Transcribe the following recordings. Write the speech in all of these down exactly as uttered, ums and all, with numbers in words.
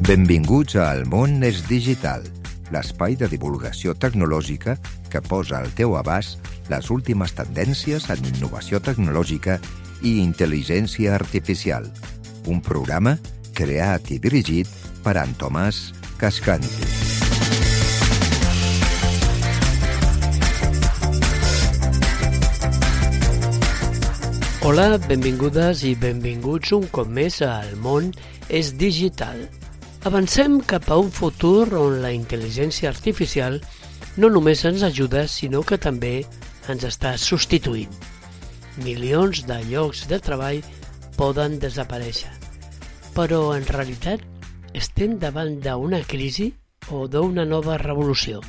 Benvinguts a El món és digital, l'espai de divulgació tecnològica que posa al teu abast les últimes tendències en innovació tecnològica i intel·ligència artificial. Un programa creat i dirigit per en Tomàs Cascanti. Hola, benvingudes i benvinguts un cop més a El món és digital. Avancem cap a un futur on la intel·ligència artificial no només ens ajuda, sinó que també ens està substituint. Milions de llocs de treball poden desaparèixer. Però, en realitat, estem davant d'una crisi o d'una nova revolució.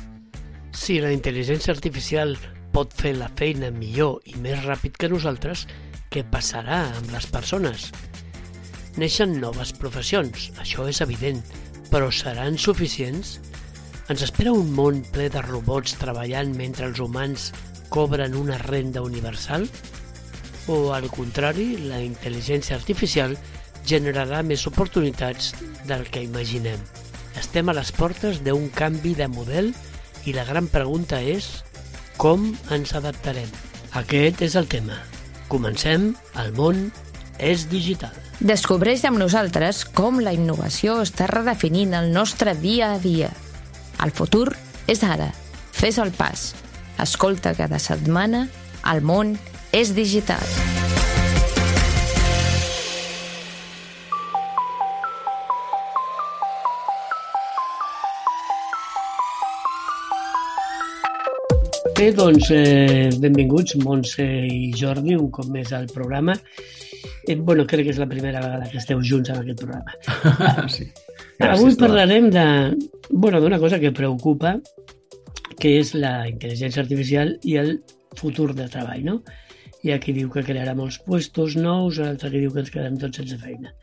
Si la intel·ligència artificial pot fer la feina millor i més ràpid que nosaltres, què passarà amb les persones? Neixen noves professions, això és evident, però seran suficients? Ens espera un món ple de robots treballant mentre els humans cobren una renda universal? O, al contrari, la intel·ligència artificial generarà més oportunitats del que imaginem. Estem a les portes d'un canvi de model i la gran pregunta és com ens adaptarem? Aquest és el tema. Comencem, El món és digital. Descobreix amb nosaltres com la innovació està redefinint el nostre dia a dia. El futur és ara. Fes el pas. Escolta cada setmana El món és digital. Bé, doncs, eh, benvinguts, Montse i Jordi, un cop més al programa. Eh, bueno, crec que és la primera vegada que esteu junts en aquest programa. Sí. Avui parlarem de, bueno, d'una cosa que preocupa, que és la intel·ligència artificial i el futur de treball, no? Hi ha qui diu que crearà molts puestos nous, l'altre que diu que ens quedem tots sense feina.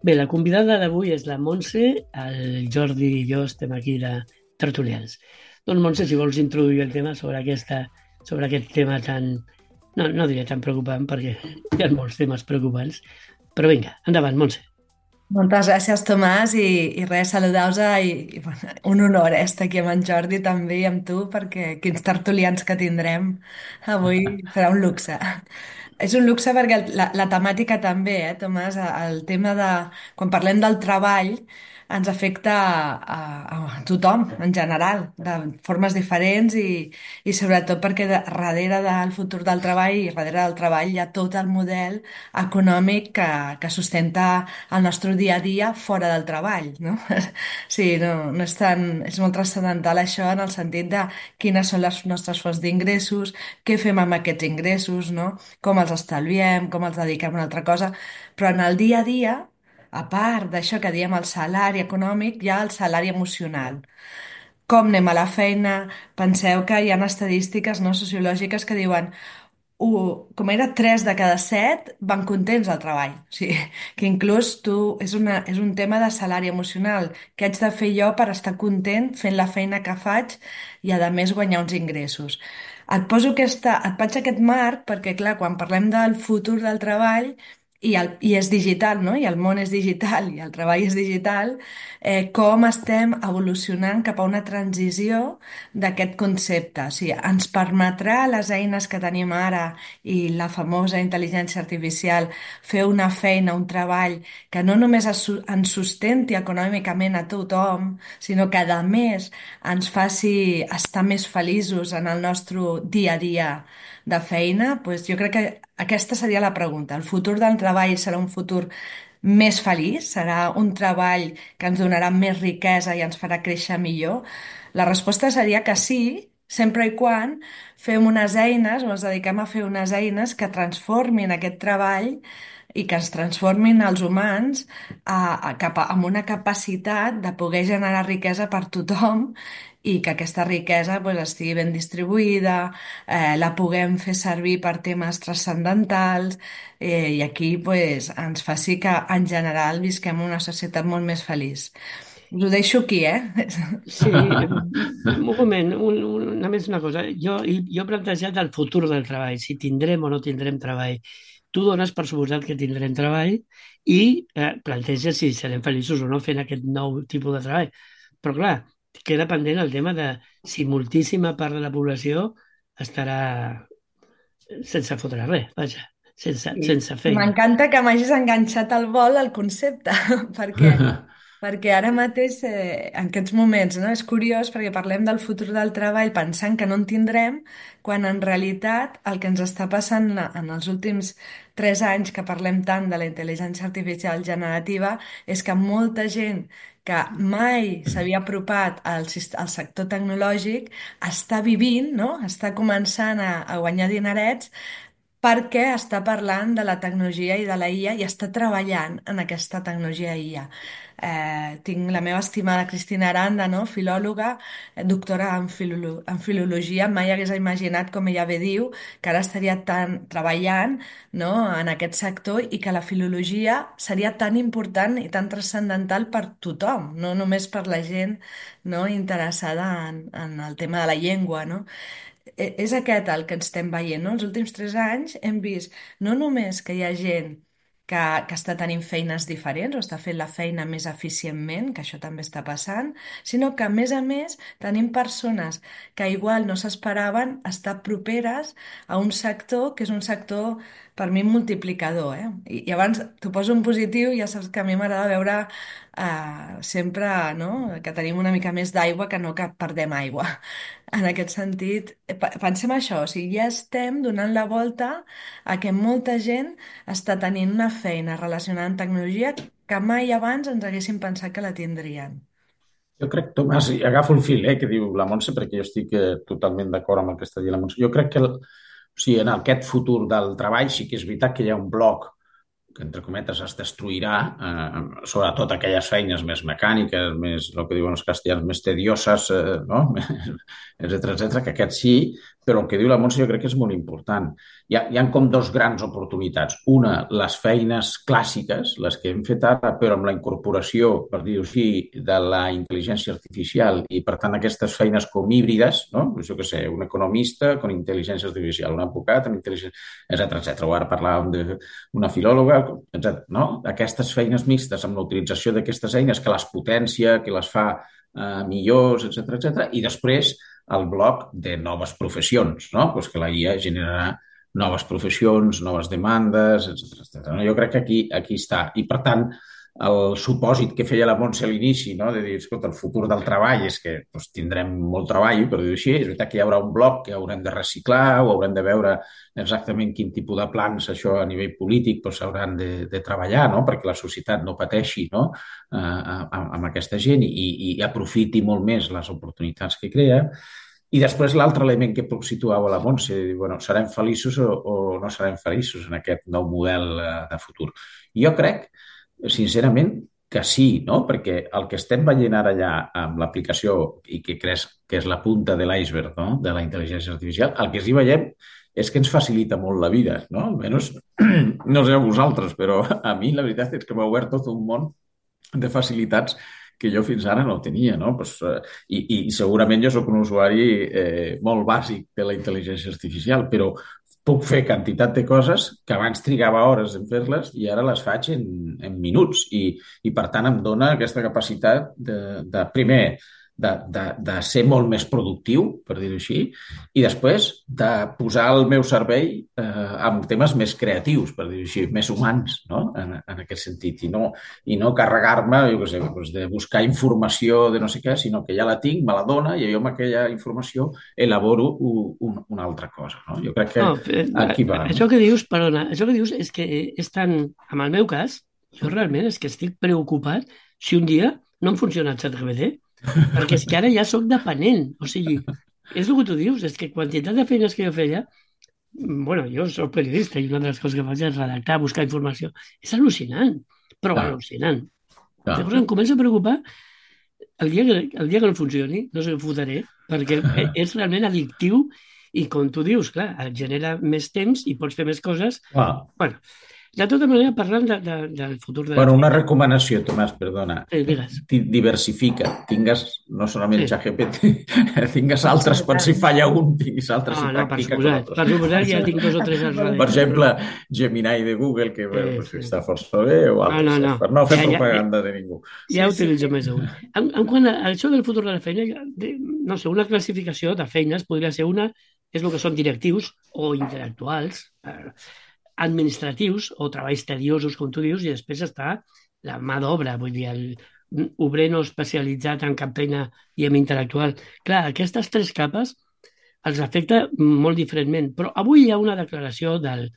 Bé, la convidada d'avui és la Montse, el Jordi i jo estem aquí de tertulians. Doncs, Montse, si vols introduir el tema sobre, aquesta, sobre aquest tema tan... No, no diré tan preocupant, perquè hi ha molts temes preocupants. Però vinga, endavant, Montse. Moltes gràcies, Tomàs, i, i res, saludar-vos i, i bueno, un honor eh, estar aquí amb en Jordi també i amb tu, perquè quins tertulians que tindrem avui serà un luxe. És un luxe perquè la, la temàtica també, eh, Tomàs, el tema de... Quan parlem del treball, ens afecta a, a, a tothom, en general, de formes diferents i, i sobretot perquè de, darrere del futur del treball i darrere del treball hi ha tot el model econòmic que, que sustenta el nostre dia a dia fora del treball, no? Sí, no, no és tan... És molt transcendental això en el sentit de quines són les nostres fonts d'ingressos, què fem amb aquests ingressos, no? Com els estalviem, com els dediquem a una altra cosa, però en el dia a dia, a part d'això que diem el salari econòmic, hi ha el salari emocional. Com anem a la feina? Penseu que hi ha estadístiques no, sociològiques que diuen uh, com era tres de cada set van contents al treball. O sigui, que inclús tu, és, una, és un tema de salari emocional. Què haig de fer jo per estar content fent la feina que faig i a més guanyar uns ingressos? Et poso aquesta, et faig aquest marc perquè, clar, quan parlem del futur del treball i, el, i és digital, no? I el món és digital i el treball és digital, eh, com estem evolucionant cap a una transició d'aquest concepte. O sigui, ens permetrà les eines que tenim ara i la famosa intel·ligència artificial fer una feina, un treball que no només ens sustenti econòmicament a tothom, sinó que a més ens faci estar més feliços en el nostre dia a dia de feina, doncs jo crec que aquesta seria la pregunta. El futur del treball serà un futur més feliç? Serà un treball que ens donarà més riquesa i ens farà créixer millor? La resposta seria que sí, sempre i quan fem unes eines o ens dediquem a fer unes eines que transformin aquest treball i que ens transformin els humans a, a, cap a, amb una capacitat de poder generar riquesa per tothom i que aquesta riquesa pues, estigui ben distribuïda, eh, la puguem fer servir per temes transcendentals eh, i aquí pues, ens faci que en general visquem una societat molt més feliç. Us ho deixo aquí, eh? Sí, un moment, un, un, només una cosa. Jo, jo he plantejat el futur del treball, si tindrem o no tindrem treball. tu dones per suposat que tindrem treball i eh, planteges si serem feliços o no fent aquest nou tipus de treball. Però clar, queda pendent el tema de si moltíssima part de la població estarà sense fotre res, vaja, sense, I sense feina. m'encanta que m'hagis enganxat al vol al concepte, perquè perquè ara mateix, eh, en aquests moments, no? És curiós perquè parlem del futur del treball pensant que no en tindrem, quan en realitat el que ens està passant en els últims tres anys que parlem tant de la intel·ligència artificial generativa és que molta gent que mai s'havia apropat al, sis- al sector tecnològic està vivint, no? Està començant a, a guanyar dinerets perquè està parlant de la tecnologia i de la I A i està treballant en aquesta tecnologia I A. Eh, tinc la meva estimada Cristina Aranda, no? Filòloga, eh, doctora en, filolo en filologia, mai hagués imaginat, com ella bé diu, que ara estaria tan treballant, no? En aquest sector i que la filologia seria tan important i tan transcendental per tothom, no només per la gent, no? Interessada en, en el tema de la llengua, no? E- És aquest el que ens estem veient, no? Els últims tres anys hem vist no només que hi ha gent que, que està tenint feines diferents o està fent la feina més eficientment, que això també està passant, sinó que, a més a més, tenim persones que igual no s'esperaven estar properes a un sector que és un sector, per mi, multiplicador, eh? I, i abans t'ho poso en positiu, ja saps que a mi m'agrada veure eh, sempre, no? Que tenim una mica més d'aigua que no que perdem aigua. En aquest sentit, eh, pe- pensem això, o sigui, ja estem donant la volta a que molta gent està tenint una feina relacionada amb tecnologia que mai abans ens haguéssim pensat que la tindrien. Jo crec, Tomàs, i agafo el fil eh, que diu la Montse, perquè jo estic eh, totalment d'acord amb el que està dient la Montse. Jo crec que el, o sigui, en aquest futur del treball sí que és veritat que hi ha un bloc que, entre cometes, es destruirà, eh, sobretot aquelles feines més mecàniques, més, el que diuen els castellans, més tedioses, eh, no? etcètera, etcètera, que aquest sí, però el que diu la Montse jo crec que és molt important. Hi ha, hi ha com dos grans oportunitats. Una, les feines clàssiques, les que hem fet ara, però amb la incorporació, per dir-ho així, de la intel·ligència artificial i, per tant, aquestes feines com híbrides, no? Jo què sé, un economista con intel·ligència artificial, un advocat amb intel·ligència, etcètera, etcètera. O ara parlàvem d'una filòloga, etcètera. No? Aquestes feines mixtes amb la utilització d'aquestes eines que les potencia, que les fa eh, millors, etcètera, etcètera. I després el bloc de noves professions, no? Pues que la I A generarà noves professions, noves demandes, etcètera, etcètera. Jo crec que aquí, aquí està. I, per tant, el supòsit que feia la Montse a l'inici, no? De dir, escolta, el futur del treball és que doncs, tindrem molt treball, per dir-ho així. És veritat que hi haurà un bloc que haurem de reciclar o haurem de veure exactament quin tipus de plans això a nivell polític s'hauran doncs, de, de treballar, no? Perquè la societat no pateixi, no? Eh, amb, amb aquesta gent i, i aprofiti molt més les oportunitats que crea. I després l'altre element que situava la Montse, bueno, serem feliços o, o no serem feliços en aquest nou model de futur. Jo crec, sincerament, que sí, no? Perquè el que estem veient ara ja amb l'aplicació i que creus que és la punta de l'iceberg, no? De la intel·ligència artificial, el que sí veiem és que ens facilita molt la vida, no? Almenys, no sé a vosaltres, però a mi la veritat és que m'ha obert tot un món de facilitats que jo fins ara no tenia, no? Pues, eh, i, I segurament jo sóc un usuari eh, molt bàsic de la intel·ligència artificial, però puc fer quantitat de coses que abans trigava hores en fer-les i ara les faig en, en minuts i, i per tant em dona aquesta capacitat de, de primer, de, de, de ser molt més productiu, per dir-ho així, i després de posar el meu servei eh, amb temes més creatius, per dir-ho així, més humans, no? En, en aquest sentit, i no, i no carregar-me, jo què sé, doncs de buscar informació de no sé què, sinó que ja la tinc, me la dona, i jo amb aquella informació elaboro un, una altra cosa, no? Jo crec que No, eh, aquí va. això que dius, perdona, això que dius és que és tan, en el meu cas, jo realment és que estic preocupat si un dia no em funciona el ChatGPT, perquè és que ara ja sóc dependent, o sigui, és el que tu dius, és que quantitat de feines que jo feia, bueno, jo soc periodista i una de les coses que faig és redactar, buscar informació, és al·lucinant, però Clar. al·lucinant. Clar. Llavors em comença a preocupar el dia, que, el dia que no funcioni, no sé què fotré, perquè és realment addictiu i, com tu dius, clar, et genera més temps i pots fer més coses. Clar. Bueno, De tota manera, parlant de, de, del futur de la Bueno, una feina, recomanació, Tomàs, perdona. sí, digues. Di- Diversifica. Tingues no solament Sí. ChatGPT, tingues altres, per si Absolutament. falla un, tinguis altres Ah, i no, per practica con suposat. otros. Per suposat, ja tinc dos o tres al Absolutament. Per darrere, però... exemple, Gemini de Google, que bueno, Sí, pues, sí. està força bé, o No, no, altres, no. saps? Per no fer Ja, ja, ja, propaganda de ningú. ja Sí, sí. utilitzo més d'un. En, en quant a això del futur de la feina, ja- de, no sé, una classificació de feines podria ser una, és el que són directius o intel·lectuals, eh, administratius o treballs tediosos, com tu dius, i després està la mà d'obra, vull dir, el obrer no especialitzat en cap feina i en intel·lectual. Clar, aquestes tres capes els afecta molt diferentment, però avui hi ha una declaració del,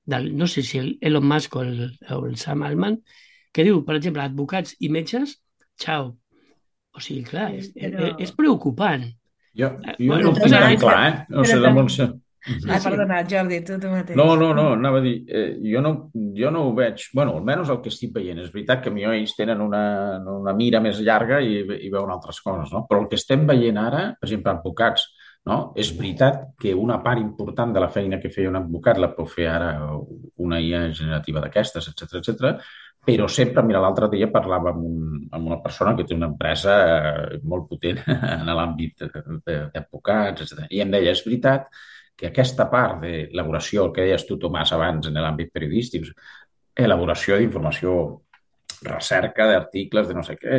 del no sé si el Elon Musk o el, o el Sam Altman, que diu, per exemple, advocats i metges, xau. O sigui, clar, és, Sí, és, és però... preocupant. Jo, Eh, jo bueno, no Però ho tinc tan Tomàs, espera, clar, eh? No però sé, la tam... Montse. sí, Ah, Mhm. sí. perdona, Jordi, tu, tu No, mateix. no, no, anava a dir, eh, jo, no, jo no ho veig, bueno, almenys el que estic veient, és veritat que millor ells tenen una, una mira més llarga i, i veuen altres coses, no? Però el que estem veient ara, per exemple, advocats, no? És veritat que una part important de la feina que feia un advocat la pot fer ara una I A generativa d'aquestes, etcètera, etcètera. Però sempre, mira, l'altre dia parlava amb, un, amb una persona que té una empresa eh, molt potent en l'àmbit d'advocats, etcètera. I em deia, és veritat que aquesta part d'elaboració, el que deies tu, Tomàs, abans en l'àmbit periodístic, elaboració d'informació, recerca d'articles, de no sé què,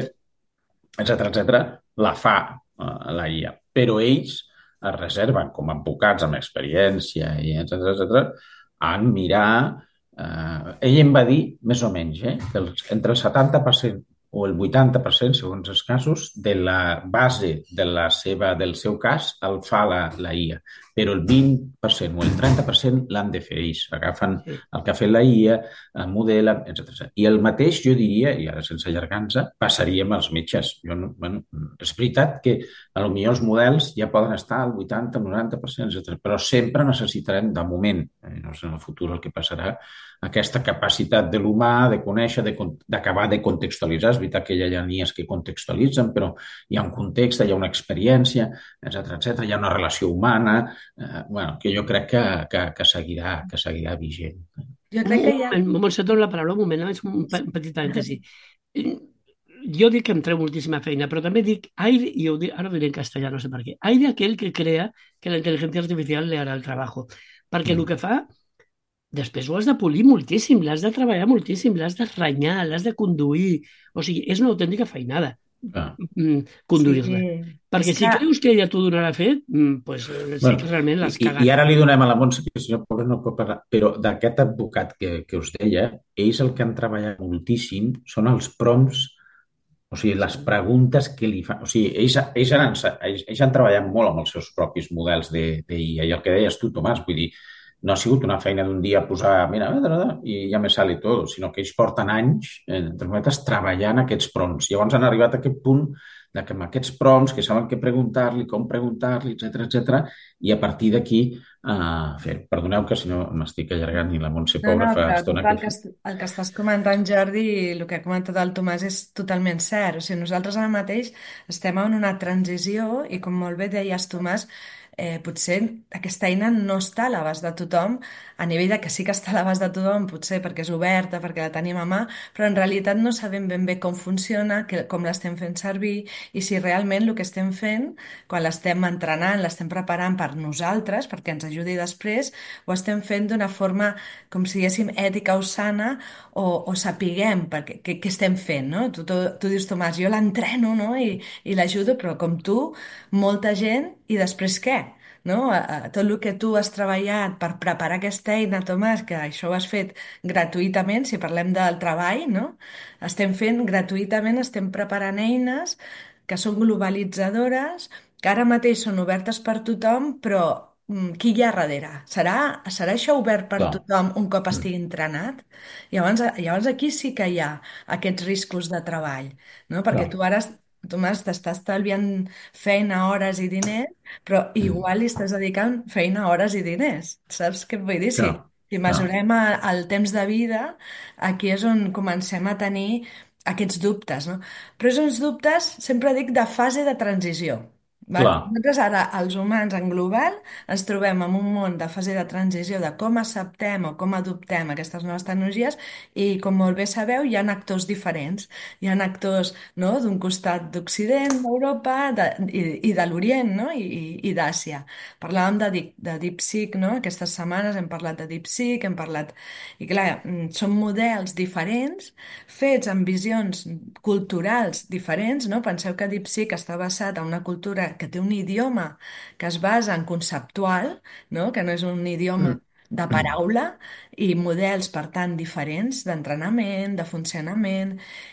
etcètera, etcètera, la fa eh, la I A. Però ells es reserven com a advocats amb experiència i etcètera, etcètera, en mirar... Eh, ell em va dir, més o menys, eh, que els, entre el setanta per cent o el vuitanta per cent, segons els casos, de la base de la seva, del seu cas el fa la, la I A. Però el vint per cent o el trenta per cent l'han de fer ells. Agafen Sí. el que ha fet la I A, el modelen, etcètera. I el mateix, jo diria, i ara sense allargar-nos, passaria amb els metges. Jo no, bueno, és veritat que a lo millor els models ja poden estar al vuitanta, noranta per cent, etcètera. Però sempre necessitarem, de moment, eh, no sé en el futur el que passarà, aquesta capacitat de l'humà de conèixer, d'acabar de, de contextualitzar. És veritat que ja hi ha I As que contextualitzen, però hi ha un context, hi ha una experiència, etcètera, etcètera. Hi ha una relació humana, eh, bueno, que jo crec que, que, que, seguirà, que seguirà vigent. Jo Un, crec un que hi ha... moment, Montse, et dono la paraula, un moment, només un pe- petit parèntesi. Jo dic que em treu moltíssima feina, però també dic, ai, i ho dic, ara ho diré en castellà, no sé per què, ai de aquel que crea que la intel·ligència artificial le harà el trabajo. Perquè el Mm. que fa, després ho has de polir moltíssim, l'has de treballar moltíssim, l'has de renyar, l'has de conduir. O sigui, és una autèntica feinada Ah. mm, Sí, conduir-la. és Perquè si que... creus que ella t'ho donarà fet, mm, pues, eh, sí Bueno, que realment i, l'has i i cagat. ara li donem a la Montse, que si no, pobre, no pot parlar, però d'aquest advocat que, que us deia, ells el que han treballat moltíssim són els prompts, o sigui, les Sí. preguntes que li fan. O sigui, ells, ells, han, ells, ells han treballat molt amb els seus propis models de, de I A, i el que deies tu, Tomàs, vull dir, no ha sigut una feina d'un dia posar, mira, i ja me sale tot, sinó que ells porten anys, entre cometes, treballant aquests prompts. Llavors han arribat a aquest punt de que amb aquests prompts, que saben què preguntar-li, com preguntar-li, etcètera, etcètera, i a partir d'aquí uh, fer. Perdoneu que si no m'estic allargant i la Montse No, pobra no, fa però tot estona el que... que, est- el que estàs comentant, Jordi, i el que ha comentat el Tomàs és totalment cert. O sigui, nosaltres ara mateix estem en una transició i, com molt bé deies, Tomàs, eh, potser aquesta eina no està a l'abast de tothom, a nivell de que sí que està a l'abast de tothom, potser perquè és oberta, perquè la tenim a mà, però en realitat no sabem ben bé com funciona, que, com l'estem fent servir i si realment el que estem fent, quan l'estem entrenant, l'estem preparant per nosaltres, perquè ens ajudi després, ho estem fent d'una forma com si diguéssim ètica o sana o, o sapiguem perquè, què, què estem fent, no? Tu, tu, tu dius, Tomàs, jo l'entreno, no? I, i l'ajudo, però com tu, molta gent, i després què? No? A, a, tot el que tu has treballat per preparar aquesta eina, Tomàs, que això ho has fet gratuïtament, si parlem del treball, no? Estem fent gratuïtament, estem preparant eines que són globalitzadores, que ara mateix són obertes per tothom, però mm, qui hi ha darrere? Serà, serà això obert per Clar. tothom un cop Mm. estigui entrenat? Llavors, llavors aquí sí que hi ha aquests riscos de treball, no? Perquè Clar. tu ara, Tomàs, t'estàs estalviant feina, hores i diners, però Mm. igual li estàs dedicant feina, hores i diners. Saps què et vull dir? Si, Clar. si Clar. mesurem a- el temps de vida, aquí és on comencem a tenir aquests dubtes, no? Però és uns dubtes, sempre dic, de fase de transició. Val? Clar. Nosaltres ara, els humans en global, ens trobem en un món de fase de transició de com acceptem o com adoptem aquestes noves tecnologies i, com molt bé sabeu, hi ha actors diferents. Hi ha actors, no?, d'un costat d'Occident, d'Europa de, i, i de l'Orient, no?, i, i, i d'Àsia. Parlàvem de, Deep- de DeepSeek, no? Aquestes setmanes hem parlat de DeepSeek, hem parlat... I clar, mm, són models diferents fets amb visions culturals diferents, no? Penseu que DeepSeek està basat en una cultura que té un idioma que es basa en conceptual, no? Que no és un idioma Mm. de paraula i models, per tant, diferents d'entrenament, de funcionament,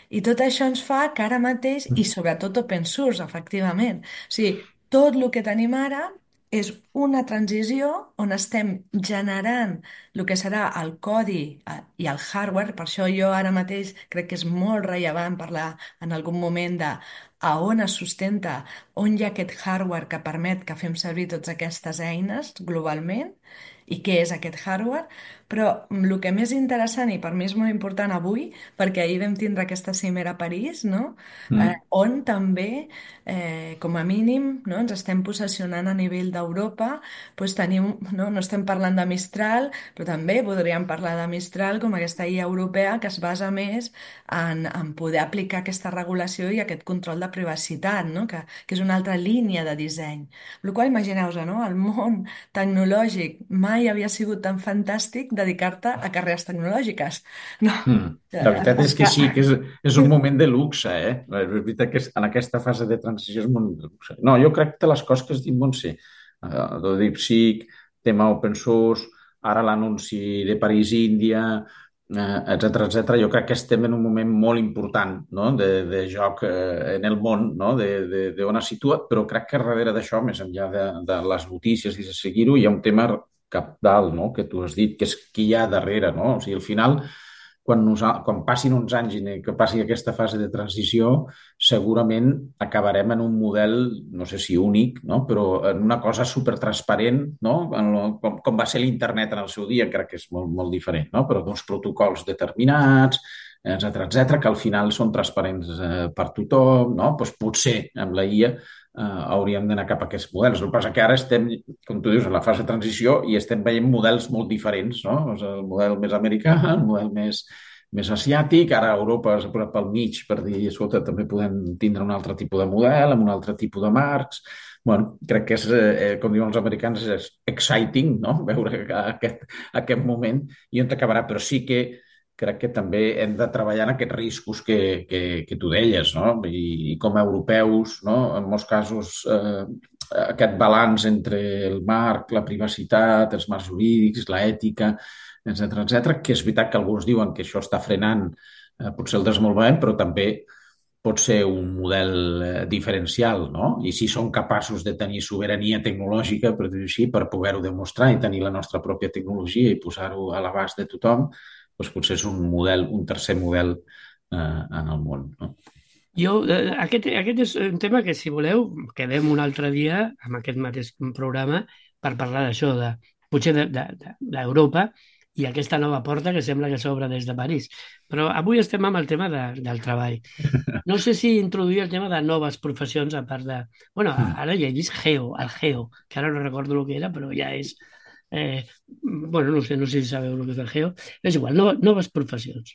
i tot això ens fa que ara mateix, i sobretot open source, efectivament, o sigui, tot el que tenim ara és una transició on estem generant el que serà el codi eh, i el hardware. Per això jo ara mateix crec que és molt rellevant parlar en algun moment de a on es sustenta, on hi ha aquest hardware que permet que fem servir totes aquestes eines globalment i què és aquest hardware, però mm, el que més interessant i per mi és molt important avui, perquè ahir vam tindre aquesta cimera a París, no? Eh, Mm. on també, eh, com a mínim, no, ens estem posicionant a nivell d'Europa, doncs tenim, no, no estem parlant de Mistral, però també podríem parlar de Mistral com aquesta guia europea que es basa més en, en poder aplicar aquesta regulació i aquest control de privacitat, no? que, que és una altra línia de disseny. El qual, imagineu-vos, no? El món tecnològic mai havia sigut tan fantàstic dedicar-te a carreres tecnològiques. No? Mm. La Eh, veritat és que que- sí, que és, és un moment de luxe, eh? És veritat que és- en aquesta fase de transició és un moment de luxe. No, jo crec que les coses que es diuen Montse, uh, de DeepSeek, tema open source, ara l'anunci de París, Índia, eh, etcètera, etcètera, jo crec que estem en un moment molt important, no?, de, de joc eh, en el món, no?, de, de, de on es situa, però crec que darrere d'això, més enllà de, de les notícies i de seguir-ho, hi ha un tema cabdal, no?, que tu has dit, que és qui hi ha darrere, no? O sigui, al final quan, nosa- quan passin uns anys i que passi aquesta fase de transició, segurament acabarem en un model, no sé si únic, no? Però en una cosa supertransparent, no? En lo, com, com va ser l'Internet en el seu dia, crec que és molt, molt diferent, no? Però d'uns protocols determinats, etcètera, etcètera, que al final són transparents eh, per tothom, no? Doncs potser amb la I A eh, hauríem d'anar cap a aquests models. El que passa que ara estem, com tu dius, en la fase de transició i estem veient models molt diferents, no? O sigui, el model més americà, el model més, més asiàtic, ara Europa s'ha posat pel mig per dir, escolta, també podem tindre un altre tipus de model, amb un altre tipus de marcs. Bueno, crec que és, eh, com diuen els americans, és exciting, no?, veure aquest, aquest moment i on acabarà, però sí que crec que també hem de treballar en aquests riscos que, que, que tu deies, no? I, i com a europeus, no?, en molts casos eh, aquest balanç entre el marc, la privacitat, els marcs jurídics, l'ètica, etcètera, etcètera, que és veritat que alguns diuen que això està frenant eh, potser el desenvolupament, però també pot ser un model eh, diferencial, no? I si som capaços de tenir sobirania tecnològica, per dir-ho així, per poder-ho demostrar i tenir la nostra pròpia tecnologia i posar-ho a l'abast de tothom, doncs potser és un model, un tercer model eh, en el món, no? Jo, eh, aquest, aquest és un tema que, si voleu, quedem un altre dia amb aquest mateix programa per parlar d'això, de, potser d'Europa de, de, d'Europa i aquesta nova porta que sembla que s'obre des de París. Però avui estem amb el tema de, del treball. No sé si introduir el tema de noves professions a part de... Bueno, Mm. ara ja he vist Geo, el Geo, que ara no recordo el que era, però ja és... Eh, bueno, no sé, no sé si sabeu el que és el Geo. És igual, no, noves professions.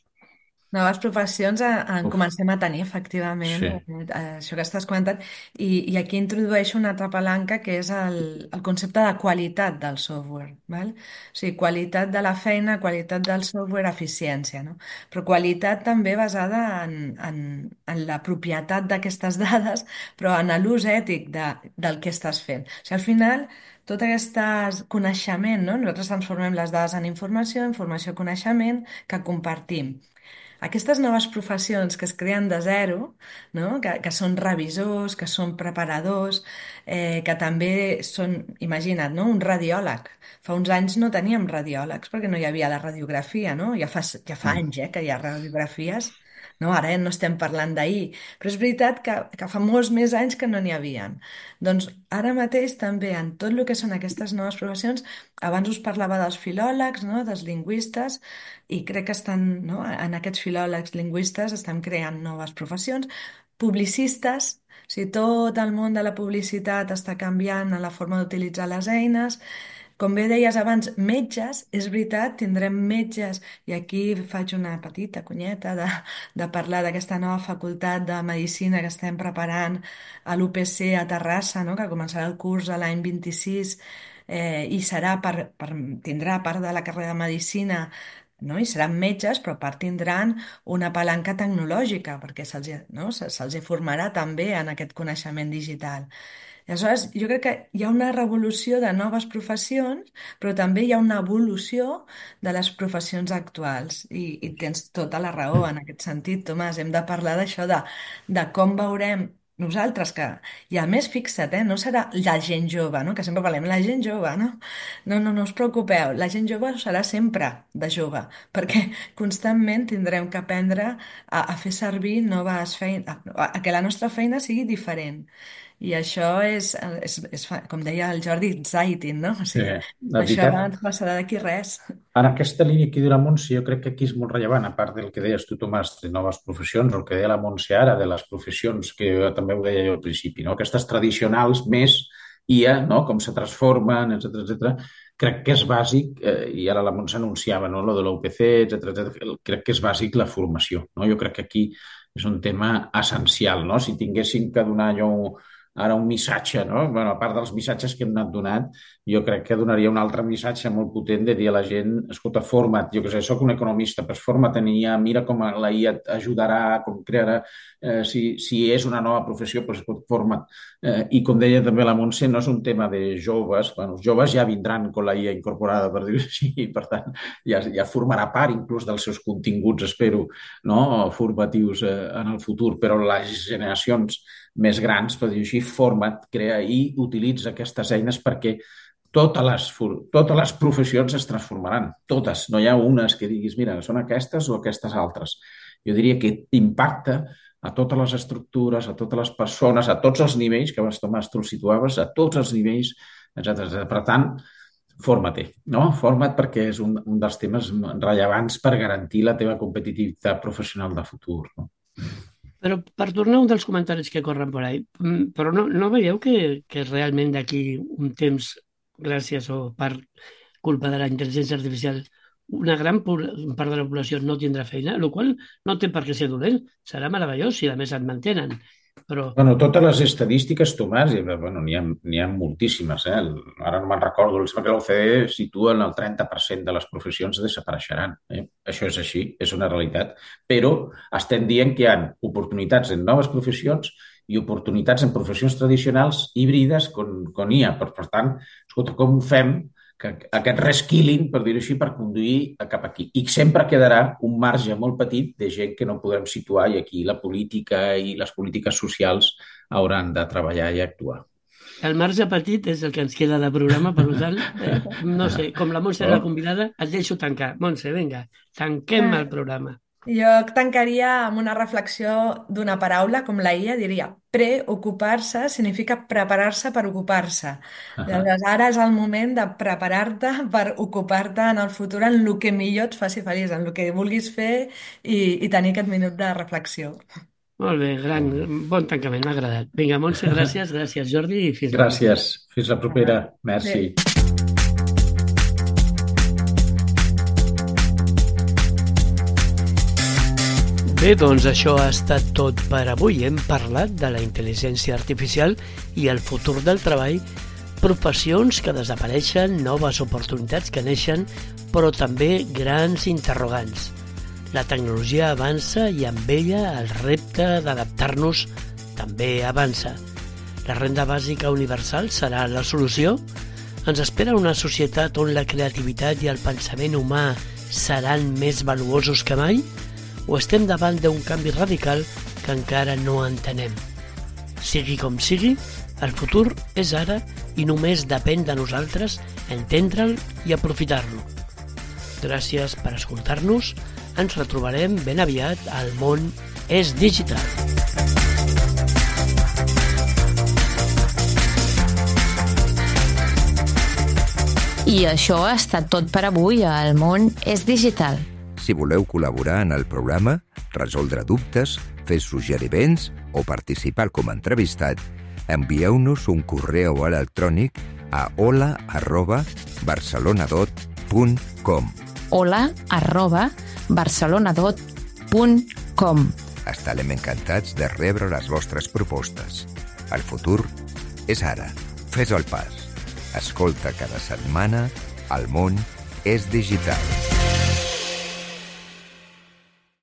Noves professions en, en Uf, comencem a tenir, efectivament, sí. eh, això que estàs comentant, i, i aquí introdueixo una altra palanca que és el, el concepte de qualitat del software, val? O sigui, qualitat de la feina, qualitat del software, eficiència, no? Però qualitat també basada en, en, en la propietat d'aquestes dades, però en l'ús ètic de, del que estàs fent. O sigui, al final, tot aquest coneixement, no? Nosaltres transformem les dades en informació, informació, coneixement, que compartim. Aquestes noves professions que es creen de zero, no? que, que són revisors, que són preparadors, eh, que també són, imagina't, no? Un radiòleg. Fa uns anys no teníem radiòlegs perquè no hi havia la radiografia, no? Ja fa, ja fa Mm. anys eh, que hi ha radiografies. No? Ara no estem parlant d'ahir, però és veritat que, que fa molts més anys que no n'hi havien. Doncs ara mateix també en tot el que són aquestes noves professions, abans us parlava dels filòlegs, no? Dels lingüistes, i crec que estan, no? En aquests filòlegs lingüistes estem creant noves professions, publicistes, o sigui, tot el món de la publicitat està canviant en la forma d'utilitzar les eines. Com bé deies abans, metges, és veritat, tindrem metges, i aquí faig una petita conyeta de, de parlar d'aquesta nova facultat de Medicina que estem preparant a l'U P C a Terrassa, no? Que començarà el curs a l'any vint-i-sis, eh, i serà per, per, tindrà part de la carrera de Medicina, no? I seran metges, però a part tindran una palanca tecnològica, perquè se'ls no? se, se'ls formarà també en aquest coneixement digital. I aleshores, jo crec que hi ha una revolució de noves professions, però també hi ha una evolució de les professions actuals. I, i tens tota la raó en aquest sentit, Tomàs. Hem de parlar d'això, de, de com veurem nosaltres que... I a més, fixa't, eh, no serà la gent jove, no? Que sempre parlem, la gent jove, no? No, no, no us preocupeu, la gent jove serà sempre de jove, perquè constantment tindrem que aprendre a, a fer servir noves feines, a, a que la nostra feina sigui diferent. I això és, és, és, fa- com deia el Jordi, exciting, no? O Sí, sigui, la això veritat, ens passarà d'aquí res. en aquesta línia que diu la Montse, jo crec que aquí és molt rellevant, a part del que deies tu, Tomàs, de noves professions, o el que deia la Montse ara, de les professions, que jo també ho deia jo al principi, no? Aquestes tradicionals més I A, no? Com se transformen, etcètera, etcètera. Crec que és bàsic, eh, i ara la Montse anunciava, no? Lo de l'U P C, etcètera, etcètera. Crec que és bàsic la formació, no? Jo crec que aquí és un tema essencial, no? Si tinguéssim que donar allò ara un missatge, no? Bueno, a part dels missatges que hem anat donant, jo crec que donaria un altre missatge molt potent de dir a la gent, escolta, forma't, jo què sé, soc un economista, però forma't en I A, mira com la I A t'ajudarà, com crearà, eh, si, si és una nova professió, doncs pot forma't. Eh, I com deia també la Montse, no és un tema de joves, bueno, els joves ja vindran amb la I A incorporada, per dir-ho així, i per tant ja, ja formarà part inclús dels seus continguts, espero, no? Formatius eh, en el futur, però les generacions més grans, per dir-ho així, forma't, crea i utilitza aquestes eines perquè totes les, totes les professions es transformaran, totes. No hi ha unes que diguis, mira, són aquestes o aquestes altres. Jo diria que impacta a totes les estructures, a totes les persones, a tots els nivells, que abans, Tomàs, tu el situaves, a tots els nivells, etcètera. Per tant, forma-te, no? Forma't perquè és un, un dels temes rellevants per garantir la teva competitivitat professional de futur, no? Però per tornar a un dels comentaris que corren per ahí, mm, però no, no veieu que, que realment d'aquí un temps, gràcies o per culpa de la intel·ligència artificial, una gran part de la població no tindrà feina, el qual no té per què ser dolent, serà meravellós si a més et mantenen. Però Bueno, totes les estadístiques, Tomàs, i, bueno, n'hi ha, n'hi ha moltíssimes, eh? Ara no me'n recordo, em sembla que l'O C D E situa en el trenta per cent de les professions desapareixeran. Eh? Això és així, és una realitat. Però estem dient que hi ha oportunitats en noves professions i oportunitats en professions tradicionals híbrides con, con I A. Per, per tant, escolta, com ho fem que aquest reskilling, per dir-ho així, per conduir cap aquí. I sempre quedarà un marge molt petit de gent que no podrem situar i aquí la política i les polítiques socials hauran de treballar i actuar. el marge petit és el que ens queda de programa, per tant, eh, no sé, com la Montse era la convidada, et deixo tancar. Montse, vinga, tanquem el programa. Jo tancaria amb una reflexió d'una paraula, com la I A, diria preocupar-se significa preparar-se per ocupar-se. Llavors, ara és el moment de preparar-te per ocupar-te en el futur en el que millor et faci feliç, en el que vulguis fer i, i tenir aquest minut de reflexió. Molt bé, gran, bon tancament, m'ha agradat. Vinga, Montse, gràcies, gràcies, Jordi, i fins la propera. Gràcies. Fins la propera. Merci. Bé, doncs això ha estat tot per avui. Hem parlat de la intel·ligència artificial i el futur del treball, professions que desapareixen, noves oportunitats que neixen, però també grans interrogants. La tecnologia avança i amb ella el repte d'adaptar-nos també avança. La renda bàsica universal serà la solució? Ens espera una societat on la creativitat i el pensament humà seran més valuosos que mai? O estem davant d'un canvi radical que encara no entenem? Sigui com sigui, el futur és ara i només depèn de nosaltres entendre'l i aprofitar-lo. Gràcies per escoltar-nos. Ens retrobarem ben aviat al Món és Digital. I això ha estat tot per avui a El Món és Digital. Si voleu col·laborar en el programa, resoldre dubtes, fer suggeriments o participar com a entrevistat, envieu-nos un correu electrònic a hola arroba barcelonadot punt com. hola arroba barcelonadot punt com. Estarem encantats de rebre les vostres propostes. El futur és ara. Fes el pas. Escolta cada setmana El Món és Digital.